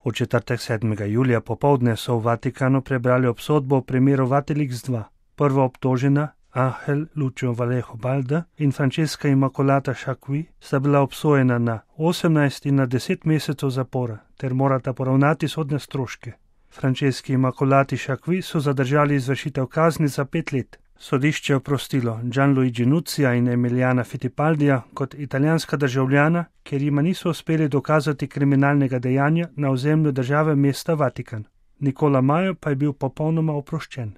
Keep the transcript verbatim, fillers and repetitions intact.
V četrtek sedmega julija popovdne so v Vatikanu prebrali obsodbo v primeru Vatilix dva. Prva obtožena, Ángel Lucio Vallejo Balda in Francesca Immacolata Sciacqui, sta bila obsojena na osemnajst in na deset mesecev zapora ter morata poravnati sodne stroške. Franceschi Immacolati Sciacqui so zadržali izvršitev kazni za pet let. Sodišče je oprostilo Gianluigi Nuzzija in Emiliana Fittipaldija kot italijanska državljana, ker jima niso uspeli dokazati kriminalnega dejanja na ozemlju države mesta Vatikan. Nicola Maio pa je bil popolnoma oproščen.